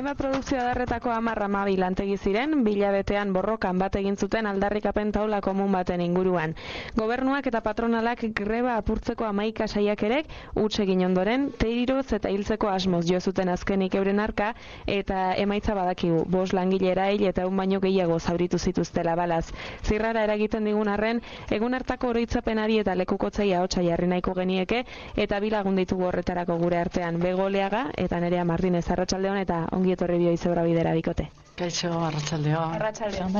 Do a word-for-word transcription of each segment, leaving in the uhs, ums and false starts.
Hainbat produkzio adarretako hamar hamabi lantegi ziren, bilabetean borrokan bat egin zuten aldarrikapen taula komun baten inguruan. Gobernuak eta patronalak greba apurtzeko hamaika saiakerek huts egin ondoren, teiroz eta hiltzeko asmoz jo zuten azkenik euren arka, eta emaitza badakigu, bost langile erail eta un baino gehiago zauritu zituztela balaz. Zirrara eragiten digun arren, egun hartako oroitzapenari eta lekukotzaia ahotsa jarri nahiko genieke, eta bilagun ditugu horretarako gure artean, Bego Oleaga eta Nerea Martinez. Arratsaldeon eta ongi etorri bio Izebra bidera bikote. Kaixo, arratsaldeon. Arratsaldeon.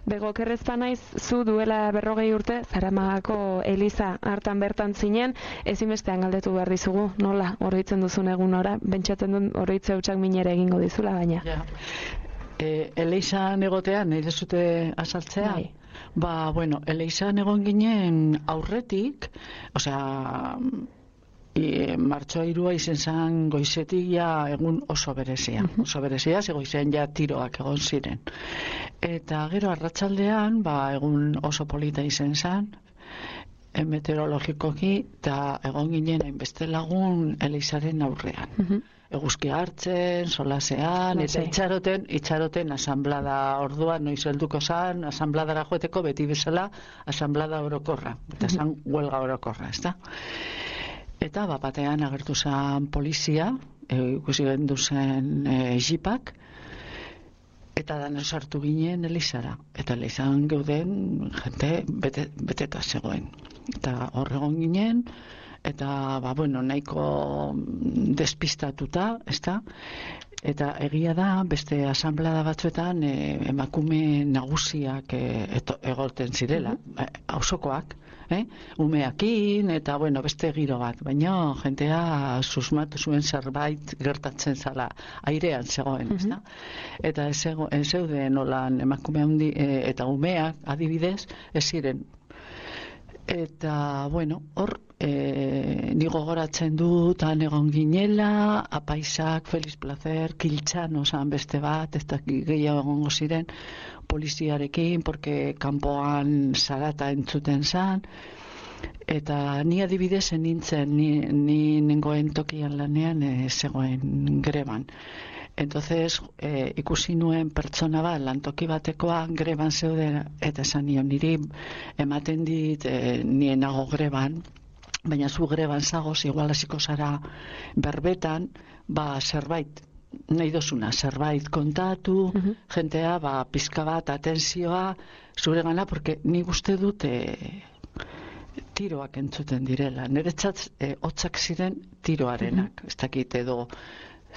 Bego, kerrezpa naiz, zu duela berrogei urte, Zaramagako Eliza hartan bertan zinen, ezinbestean galdetu behar dizugu, nola oroitzen duzun egun ora, bentsatzen duen oroitze hutsak minere egingo dizula, baina. Ja. E, Elizan egotean, nire zute azaltzea? Bai. Ba, bueno, Elizan egon ginen aurretik, osea, E, martxoa hirua izen zen goizetik ja egun oso berezia. Oso berezia, ze goizean ja tiroak egon ziren. Eta gero arratsaldean, ba, egun oso polita izen zen, e, meteorologikoki, eta egon ginen hainbeste lagun Elizaren aurrean. Uh-huh. Eguzkia hartzen, solasean, eta itxaroten, itxaroten asanblada orduan, noiz helduko zan, asanbladara joeteko beti bezala asanblada orokorra, eta zan huelga orokorra, ezta? Eta bapatean agertu zen polizia, ikusi e, gendu zen e, jipak, eta dan sartu ginen Elizara. Eta Elizan geuden jente bete, beteta zegoen. Eta hor egon ginen, eta ba, bueno, nahiko despistatuta, ezta? Eta egia da, beste asanblada batzuetan e, emakume nagusiak e, egoten zirela, auzokoak. Eh? Umeakin eta bueno, beste giro bat, baina jentea susmatu zuen zerbait gertatzen zala, airean zegoen, uh-huh. ezta? Eta ez zeuden nolan emakume handi e, eta umeak adibidez ez ziren. Eta bueno, hor e, ni gogoratzen dut han egon ginela, apaisak, Feliz Placer, Kiltxano zan beste bat, ez da gehiago egongo ziren, poliziarekin, porque kanpoan zarata entzuten zan, eta ni adibidez nintzen, ni, ni nengoen tokian lanean e, zegoen greban. Entonces, e, ikusi nuen pertsona bat, lantoki batekoa greban zeuden, eta esan nion niri ematen dit e, nienago greban, baina zu greban zagoz, igual hasiko zara berbetan, ba zerbait, nahi dozuna, zerbait kontatu, uh-huh. jentea, ba, pizka bat, atentzioa, zure gana, porque nik uste dut e, tiroak entzuten direla. Niretzat, e, hotzak ziren tiroarenak, uh-huh. ez dakit edo,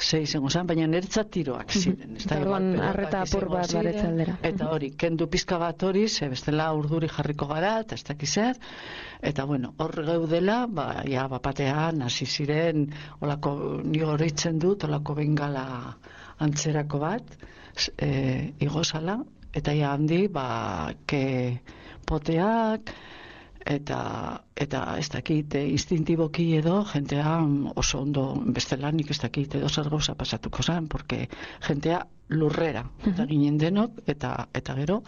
ze izango zen, baina niretzat tiroak ziren. Eta orduan arreta apur bat baretzaldera. Eta hori, kendu pizka bat hori, ze bestela urduri jarriko gara, eta ez dakizer, eta bueno, hor geudela, ba, ja, bapatean, hasi ziren, olako, ni oroitzen dut, olako bengala antzerako bat, e, igozala, eta ja handi, ba, ke poteak, eta eta ez dakit e, instintiboki edo jentea oso ondo bestelanik ez dakit edo zer gauza pasatuko zen, porque jentea lurrera eta ginen denok, eta eta gero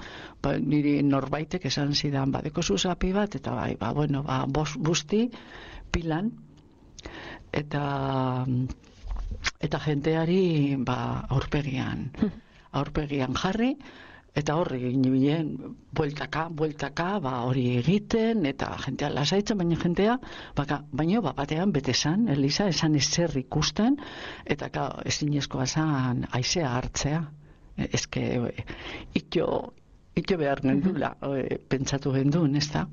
ba, niri norbaitek esan zidan badeko zuzapi bat, eta bai, ba, bueno, ba, bos, busti pilan, eta eta jenteari ba, aurpegian aurpegian jarri, eta horri ginen, bueltaka, bueltaka, ba, hori egiten, eta jentea lasaitzen, baina jentea, baka, baina bapatean bete zan, Eliza, esan ezer ikusten, eta ka, ezinezkoa zan aizea hartzea. Ezke, ito, ito behar gendula, e, pentsatu gendun, ez da?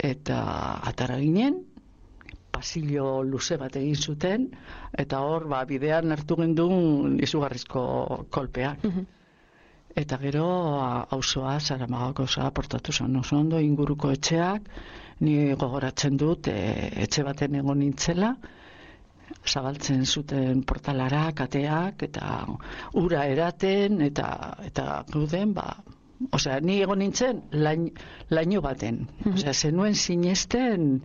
Eta atara ginen, pasillo luze bat egin zuten, eta hor, ba, bidean hartu gendun izugarrizko kolpeak. Eta gero auzoa Zaramagako osoa portatu zen oso ondo, inguruko etxeak, ni gogoratzen dut e, etxe baten egon nintzela, zabaltzen zuten portalara, kateak, eta ura eraten, eta eta guden, ba, osea, ni egon nintzen lain, laino baten, osea, zenuen sinesten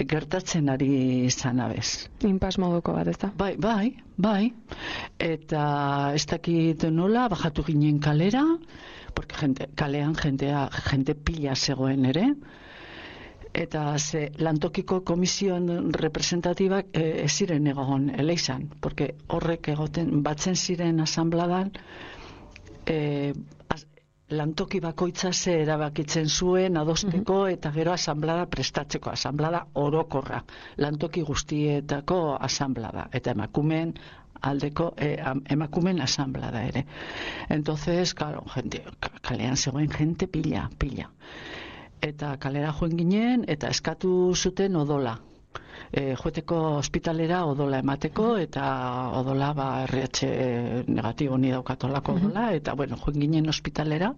gertatzen ari izan abez. Inpas moduko bat, ez da? Bai, bai, bai. Eta ez dakit nola, bajatu ginen kalera, porque gente, kalean jentea, jente pila zegoen ere, Eta ze lantokiko komisioen representatibak e, ez ziren egon Eleixan, porque horrek egoten batzen ziren asanbladan e, az, lantoki bakoitza ze erabakitzen zuen adosteko eta gero asanblada prestatzeko, asanblada orokorra, lantoki guztietako asanblada, eta emakumeen aldeko eh, emakumen asanblada ere. Entonces, claro, gente, kalean zegoen gente pila, pila. Eta kalera joen ginen, eta eskatu zuten odola. E, joeteko ospitalera odola emateko, eta odola, ba, R H negatibo ni daukatolako odola, eta, bueno, joen ginen ospitalera,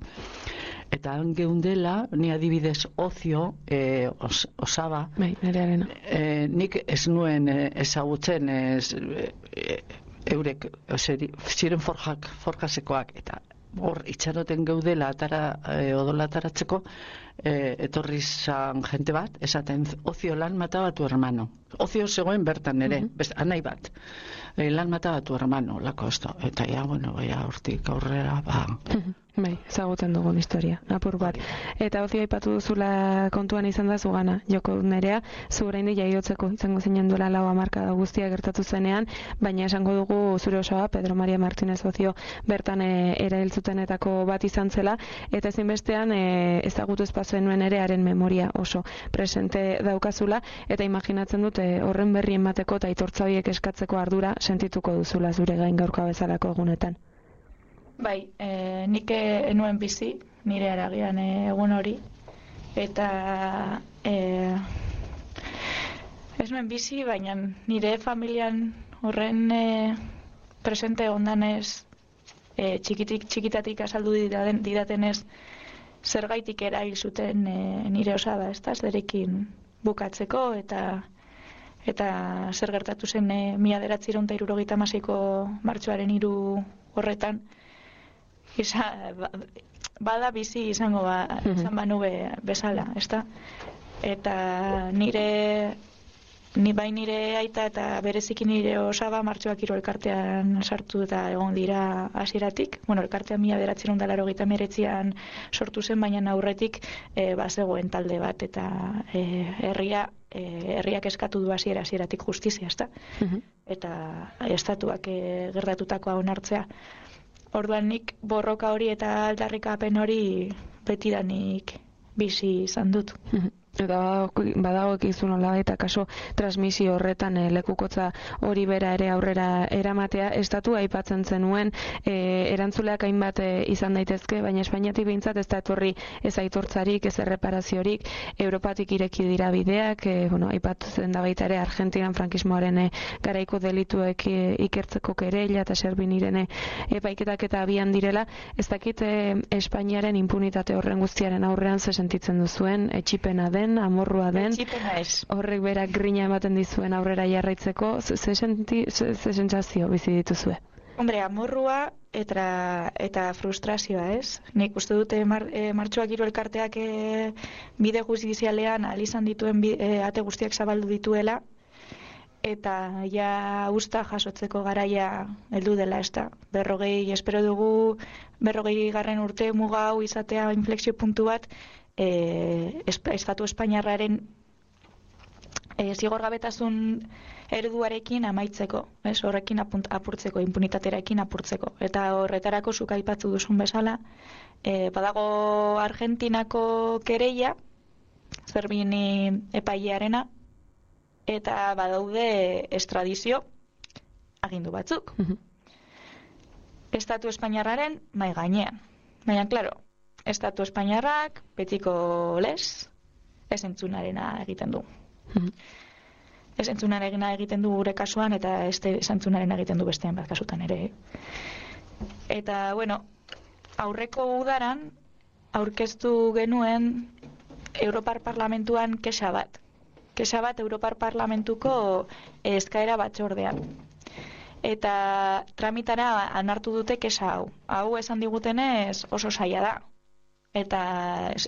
eta han geundela, ni adibidez ozio, e, os, osaba, bai, nerearena. E, nik ez nuen e, ezagutzen, ez, e, eurek, oseri, ziren forjak, forjasekoak, eta hor itxaroten geudela atara, e, odola ataratzeko, e, etorri zan jente bat, esaten, ozio lan mataba tu hermano. Ozio zegoen bertan ere, uh-huh. best, anai bat. E, lan mataba tu hermano, lako esto. Eta ja, bueno, ja, hortik aurrera, ba... Uh-huh. Bai, ezagutzen dugun historia, apur bat. Eta ozio aipatu duzula kontuan izan da zugana, joko nerea, zu oraindik jaiotzeko izango zinen duela lau hamarkada guztia gertatu zenean, baina esango dugu zure osoa, Pedro Maria Martínez Ozio bertan e, erailtzutenetako bat izan zela, eta ezinbestean e, ezagutu espazioen nuen ere haren memoria oso presente daukazula, eta imaginatzen dute horren berri emateko eta aitortza horiek eskatzeko ardura sentituko duzula zure gain gaurkoa bezalako egunetan. Bai, e, nik enuen bizi, nire aragian e, egun hori, eta e, ez nuen bizi, baina nire familian horren e, presente ondanez, e, txikitik, txikitatik azaldu didaten, didatenez, zergaitik erail zuten e, nire osaba, ez da, zerekin bukatzeko, eta eta zer gertatu zen e, mila bederatziehun eta hirurogeita hamaseiko martxoaren hiru horretan, Isa, bada bizi izango ba, izan banu be, bezala, ezta? Eta nire, ni bai nire aita eta bereziki nire osaba martxoak hiru elkartean sartu eta egon dira hasieratik. Bueno, elkartean mila bederatziehun eta laurogeita hemeretzian sortu zen, baina aurretik e, bazegoen talde bat eta e, herria e, herriak eskatu du hasiera hasieratik justizia, ezta? Uh-huh. Eta estatuak e, gertatutakoa onartzea. Orduan nik borroka hori eta aldarrikapen hori betidanik bizi izan dut. Eta badago ekizu nola eta kaso transmisio horretan e, lekukotza hori bera ere aurrera eramatea, estatu aipatzen zenuen e, erantzuleak hainbat e, izan daitezke, baina Espainiatik behintzat ez da etorri ez aitortzarik, ez erreparaziorik, Europatik ireki dira bideak, e, bueno, aipatzen da baita ere Argentinan frankismoaren e, garaiko delituek e, ikertzeko kereila eta Serbinirene epaiketak eta abian direla, ez dakit e, Espainiaren impunitate horren guztiaren aurrean ze sentitzen duzuen, etxipena den, amorrua den, horrek berak grina ematen dizuen aurrera jarraitzeko, ze sentsazio bizi dituzue? Hombre, amorrua eta, eta frustrazioa, ez? Nik uste dute mar, e, martxoak hiru elkarteak e, bide justizialean alizan dituen bi, e, ate guztiak zabaldu dituela, eta ja usta jasotzeko garaia heldu dela, ez da. Berrogei, espero dugu, berrogei garren urte muga hau izatea inflexio puntu bat, E, estatu espainiarraren e, zigorgabetasun ereduarekin amaitzeko, ez, horrekin apunt, apurtzeko, impunitaterekin apurtzeko. Eta horretarako zuk aipatu duzun bezala, e, badago Argentinako kereia, Zerbini epailearena, eta badaude estradizio agindu batzuk. Uh-huh. Estatu espainiarraren mai gainean. Baina, klaro, Estatu espainiarrak, betiko les, ez entzunarena egiten du. Mm-hmm. Ez entzunarena egiten du gure kasuan, eta ez entzunarena egiten du bestean bat kasutan ere. Eta, bueno, aurreko udaran, aurkeztu genuen Europar Parlamentuan kexa bat. Kexa bat Europar Parlamentuko eskaera batzordean. Eta tramitara anartu dute kexa hau. Hau esan digutenez oso zaila da. Eta,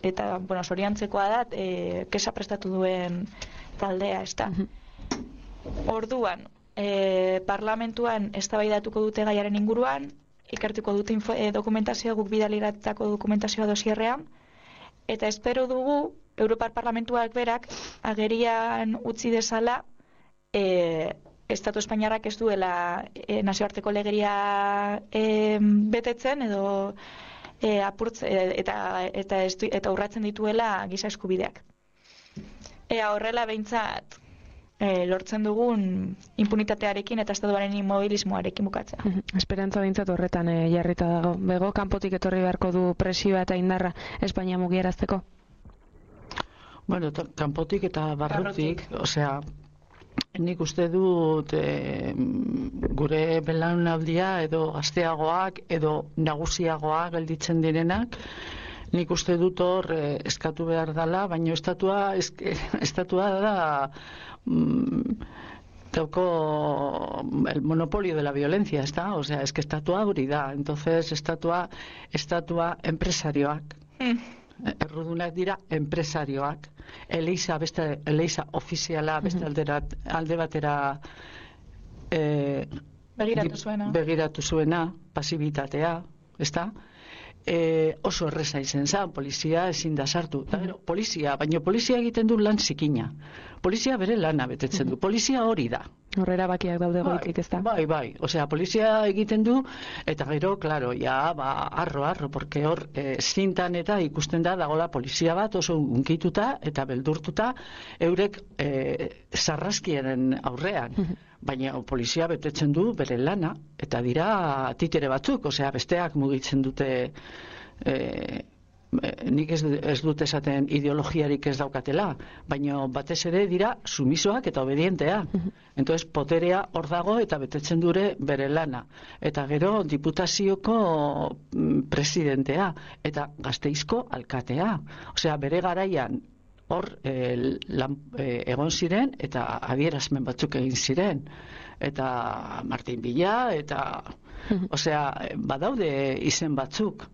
eta bueno, soriantzekoa da, e, kesa prestatu duen taldea, ez da. Orduan, e, parlamentuan eztabaidatuko dute gaiaren inguruan, ikertuko dute info, e, dokumentazioa, guk bidaliratako dokumentazioa dosierrean, eta espero dugu Europar Parlamentuak berak agerian utzi dezala e, Estatu Espainiarrak ez duela e, nazioarteko legeria e, betetzen edo e, apurtze, e, eta, eta, estu, eta urratzen dituela giza eskubideak. Ea horrela behintzat e, lortzen dugun impunitatearekin eta estatuaren immobilismoarekin bukatzea. Esperantza behintzat horretan e, jarrita dago. Bego, kanpotik etorri beharko du presioa eta indarra Espainia mugiarazteko? Bueno, kanpotik eta barrutik, osea, nik uste dut e, gure belaunaldia edo gazteagoak edo nagusiagoak gelditzen direnak, nik uste dut hor e, eskatu behar dela, baina estatua, eske, estatua da mm, dauko el monopolio de la violencia, ¿está? O sea, es que estatua hori da, entonces estatua, estatua empresarioak. Mm. Errudunak dira enpresarioak. Eleiza, beste, eleiza ofiziala beste aldera, alde batera e, begiratu zuena, begiratu zuena pasibitatea, ezta? E, oso erreza izen zan, polizia ezin da sartu. Da, gero, polizia, baina polizia egiten du lan zikina. Polizia bere lana betetzen du. Polizia hori da. Horrera bakiak daude goitik, ez da? Bai, bai. Osea, polizia egiten du, eta gero, klaro, ja, ba, arro, arro, porque hor, e, zintan eta ikusten da, dagola polizia bat oso unkituta eta beldurtuta, eurek e, sarraskiaren aurrean. Baina polizia betetzen du bere lana, eta dira titere batzuk, osea, besteak mugitzen dute, e, nik ez, ez dut esaten ideologiarik ez daukatela, baina batez ere dira sumisoak eta obedientea. Entonces, poterea hor dago eta betetzen dure bere lana. Eta gero, diputazioko presidentea, eta Gasteizko alkatea. Osea, bere garaian, hor e, lan, e, egon ziren eta adierazmen batzuk egin ziren. Eta Martin Villa, eta osea, badaude izen batzuk.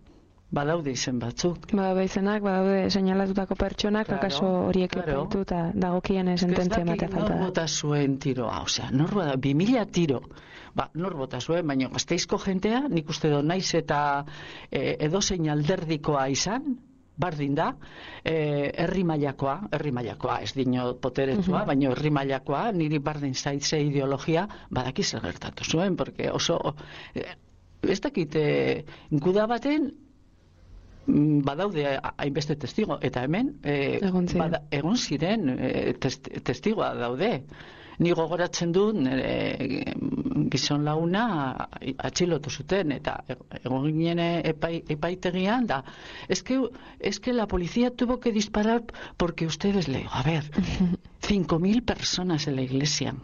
Badaude izen batzuk. Badaude izenak, badaude seinalatutako pertsonak, claro, akaso horiek claro. Epaitu eta dagokien sententzia ematea falta da. Nor bota zuen tiroa, osea, nor bota, bi mila tiro. Ba, nor bota zuen, baina Gasteizko jentea, nik uste do naiz eta e, edozein alderdikoa izan, bardin da, e, herri mailakoa, herri mailakoa, ez dino poteretsua, uh-huh. baina herri mailakoa, niri bardin zaitze ideologia, badaki zer gertatu zuen, porque oso, e, ez dakit, e, guda baten, badaude hainbeste testigo, eta hemen e, egon ziren, bada, egon ziren e, test, testigoa daude. Ni gogoratzen dut e, gizon laguna atxilotu zuten, eta egon ginen epai, epaitegian da, es que, es que la policía tuvo que disparar porque ustedes le digo, a ver, cinco mil personas en la iglesia.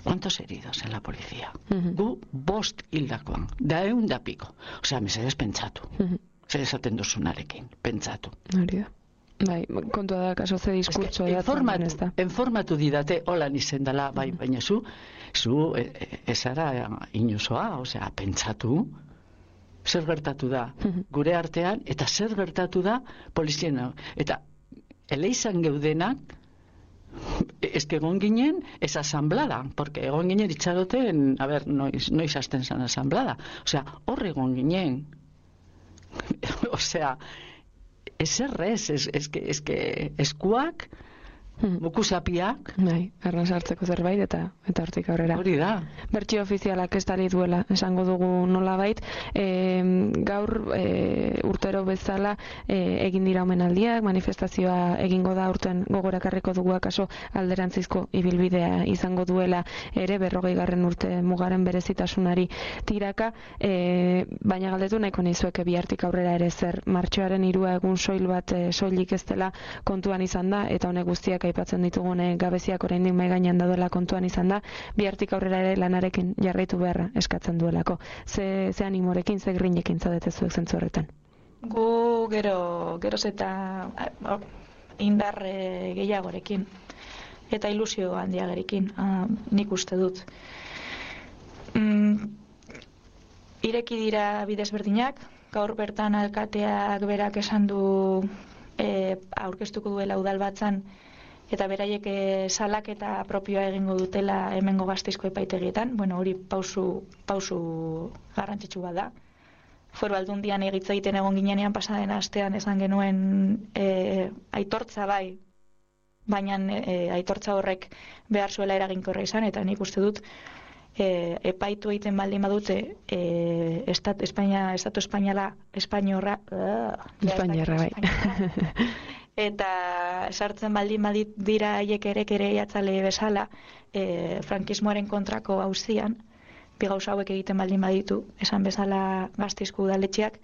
¿Cuántos heridos en la policía? Uh-huh. Gu bost hildakoan, da eun da piko. Osea, mesedez pentsatu. Uh-huh. Zer esaten duzunarekin, pentsatu. Hori da. Bai, kontua da, kaso ze diskurtso es que informatu, ez da. Informatu didate, holan izen dela, bai, uh-huh. baina zu, zu ezara inozoa, osea, pentsatu, zer gertatu da uh-huh. gure artean, eta zer gertatu da poliziena. Eta eleizan geudenak, ez que egon ginen ez asamblada, porque egon ginen itxaroten, a ver, noiz, noiz hasten zan asamblada. Osea, hor egon ginen. Osea, ez errez, ez, ez, ez, ez eskuak, bukusapiak. Bai, arran sartzeko zerbait eta eta hortik aurrera. Hori da. Bertsio ofizialak ez dali duela, esango dugu nolabait. E, gaur e, urtero bezala e, egin dira omenaldiak, manifestazioa egingo da urten gogorakarriko dugu akaso alderantzizko ibilbidea izango duela ere berrogeigarren urte mugaren berezitasunari tiraka, e, baina galdetu nahiko nizueke bihartik aurrera ere zer martxoaren hirua egun soil bat e, soilik ez dela kontuan izan da, eta honek guztiak aipatzen ditugune gabeziak oraindik mai gainean daudela kontuan izan da, bihartik aurrera ere lanarekin jarraitu beharra eskatzen duelako. Ze, ze animorekin, ze grinekin zaudete zuek zentzu horretan? Gu gero, geroz eta oh, indar e, gehiagorekin eta ilusio handiagerekin, ah, nik uste dut. Mm, ireki dira bidezberdinak, gaur bertan alkateak berak esan du e, aurkeztuko duela udalbatzan, eta beraiek e, salaketa propioa egingo dutela hemengo Gasteizko epaitegietan. Bueno, hori pausu, pausu garrantzitsu bat da. Foru Aldundian egitza egiten egon ginenean pasaden astean esan genuen e, aitortza bai, baina e, aitortza horrek behar zuela eraginkorra izan, eta nik uste dut e, epaitu egiten baldin badute e, estat, Espainia, Estatu Espainiala, Espainiorra, uh, Espainiarra bai. Eta sartzen baldin badit dira haiek ere ere jatzale bezala e, frankismoaren kontrako auzian, bi gauza hauek egiten baldin baditu, esan bezala Gasteizko udaletxeak,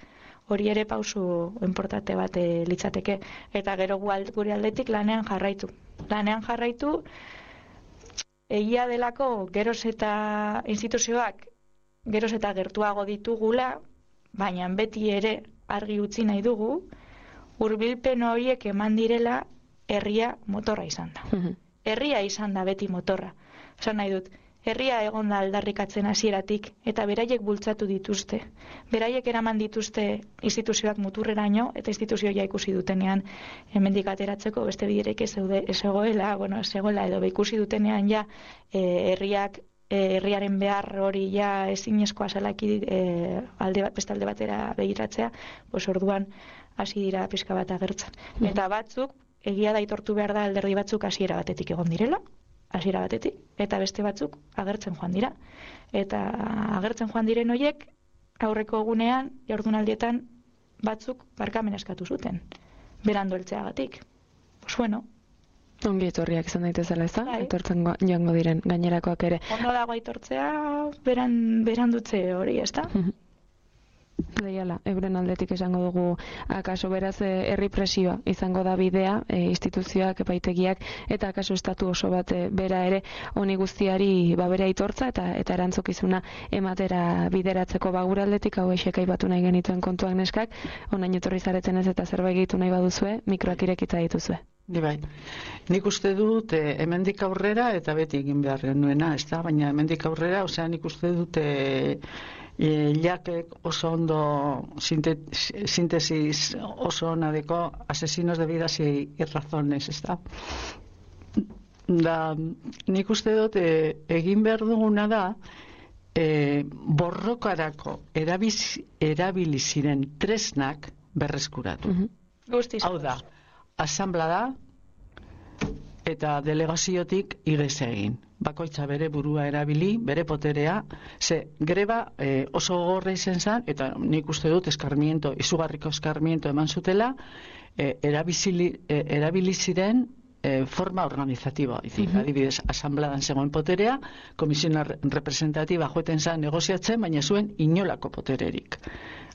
hori ere pausu importante bat e, litzateke. Eta gero gure aldetik lanean jarraitu. Lanean jarraitu, egia delako geroz eta instituzioak geroz eta gertuago ditugula, baina beti ere argi utzi nahi dugu, hurbilpen horiek eman direla herria motorra izan da. Herria izan da beti motorra. Esan nahi dut, herria egon da aldarrikatzen hasieratik eta beraiek bultzatu dituzte. Beraiek eraman dituzte instituzioak muturreraino eta instituzioa ikusi dutenean hemendik ateratzeko beste biderek ez zeude ez egoela, bueno, ez egoela edo ikusi dutenean ja e, herriak e, herriaren behar hori ja ezinezkoa zelaki e, alde bat beste alde batera begiratzea, pues orduan hasi dira pizka bat agertzen. Eta batzuk egia da aitortu behar da alderdi batzuk hasiera batetik egon direla, hasiera batetik, eta beste batzuk agertzen joan dira. Eta agertzen joan diren hoiek aurreko egunean, jardunaldietan batzuk barkamen eskatu zuten, berandu heltzeagatik. Pues bueno, ongi etorriak izan daitezela, ez da? Bai. Aitortzen joango diren gainerakoak ere. Ondo dago aitortzea beran, berandutze hori, ez da? Leiala, euren aldetik esango dugu, akaso beraz eh, herri presioa izango da bidea, eh, instituzioak, epaitegiak, eta akaso estatu oso bat eh, bera ere honi guztiari ba bere aitortza eta eta erantzukizuna ematera bideratzeko ba gure aldetik hau esek aipatu nahi genituen kontuak neskak, onain etorri zareten ez eta zerbait gehitu nahi baduzue, mikroak irekita dituzue. Ni bai. Nik uste dut eh, hemendik aurrera eta beti egin behar genuena, ez da? Baina hemendik aurrera, osea, nik uste dut eh, E, jakek oso ondo sintesis oso onadeko asesinos de vidas y, y razones, ez da? Da, nik uste dut e, egin behar duguna da e, borrokarako erabiz, erabili ziren tresnak berreskuratu. Uh-huh. Guztiz. Hau da, asanblada eta delegaziotik igez egin. Bakoitza bere burua erabili, bere poterea, ze greba e, oso gogorra izan zen, eta nik uste dut eskarmiento, izugarriko eskarmiento eman zutela, e, erabili, e, erabili ziren e, forma organizatiboa. Uh-huh. Adibidez, asambladan zegoen poterea, komisiona representatiba joeten zen negoziatzen, baina zuen inolako potererik.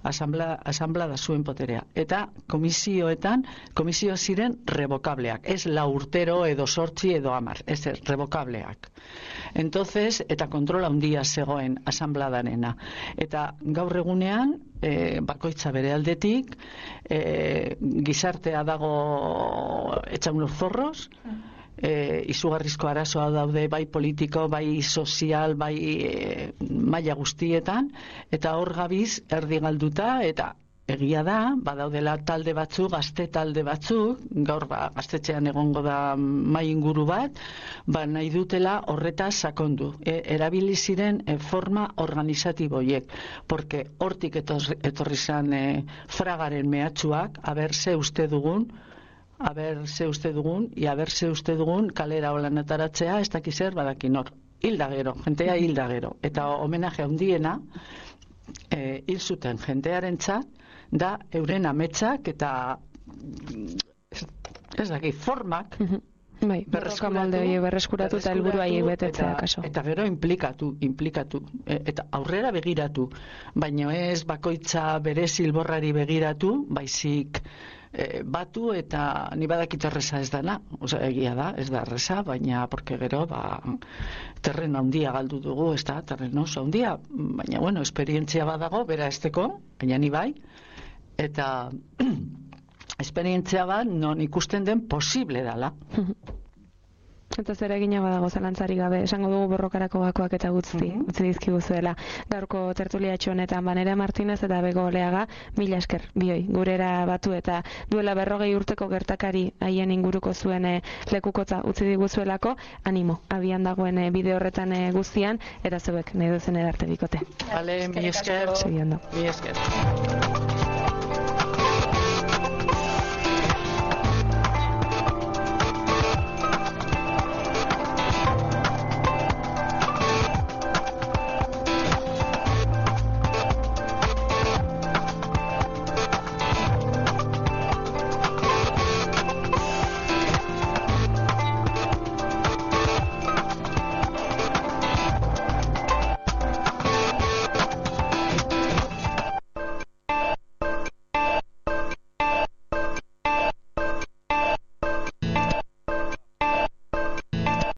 Asamblea, asamblea zuen poterea. Eta komisioetan, komisio ziren revokableak. Ez la urtero edo sortzi edo amar. Ez revokableak. Entonces, eta kontrola handia zegoen asambladanena. Eta gaur egunean, e, bakoitza bere aldetik, e, gizartea dago etxaun zorros, E, izugarrizko arazoa daude bai politiko, bai sozial, bai e, maila guztietan, eta hor gabiz erdi galduta, eta egia da, badaudela talde batzuk, gazte talde batzuk, gaur ba, gaztetxean egongo da mai inguru bat, ba nahi dutela horretaz sakondu. E, erabili ziren e, forma organizatiboiek, porque hortik etorri, etorri zan e, fragaren mehatxuak, aber ze uste dugun, aber ze uste dugun, i aber ze uste dugun kalera holan ataratzea, ez dakiz zer badaki nor. Hilda gero, jentea hilda gero. Eta homenaje handiena, e, hil zuten jentearentzat, da euren ametsak eta ez daki, formak bai, berreskuratu, berreskuratu eta helburua haiek betetzea kaso. Eta gero implikatu, implikatu, e, eta aurrera begiratu, baina ez bakoitza bere zilborrari begiratu, baizik E, batu eta ni badakit erreza ez dana, osea egia da, ez da erreza, baina porque gero ba terreno handia galdu dugu, ez da, terreno oso handia, baina bueno, esperientzia badago bera esteko, baina ni bai, eta esperientzia bat non ikusten den posible dala. Eta zer egina badago zalantzari gabe, esango dugu borrokarako gakoak eta guzti, mm-hmm. utzi dizkiguzuela. Gaurko tertuliatxo honetan Banera Martinez eta Bego Oleaga, mila esker, bioi, gurera batu eta duela berrogei urteko gertakari haien inguruko zuen lekukotza utzi diguzuelako, animo, abian dagoen bide horretan guztian, eta zeuek nahi duzen edarte bikote. Vale, mi esker. Segiondo. Mi esker.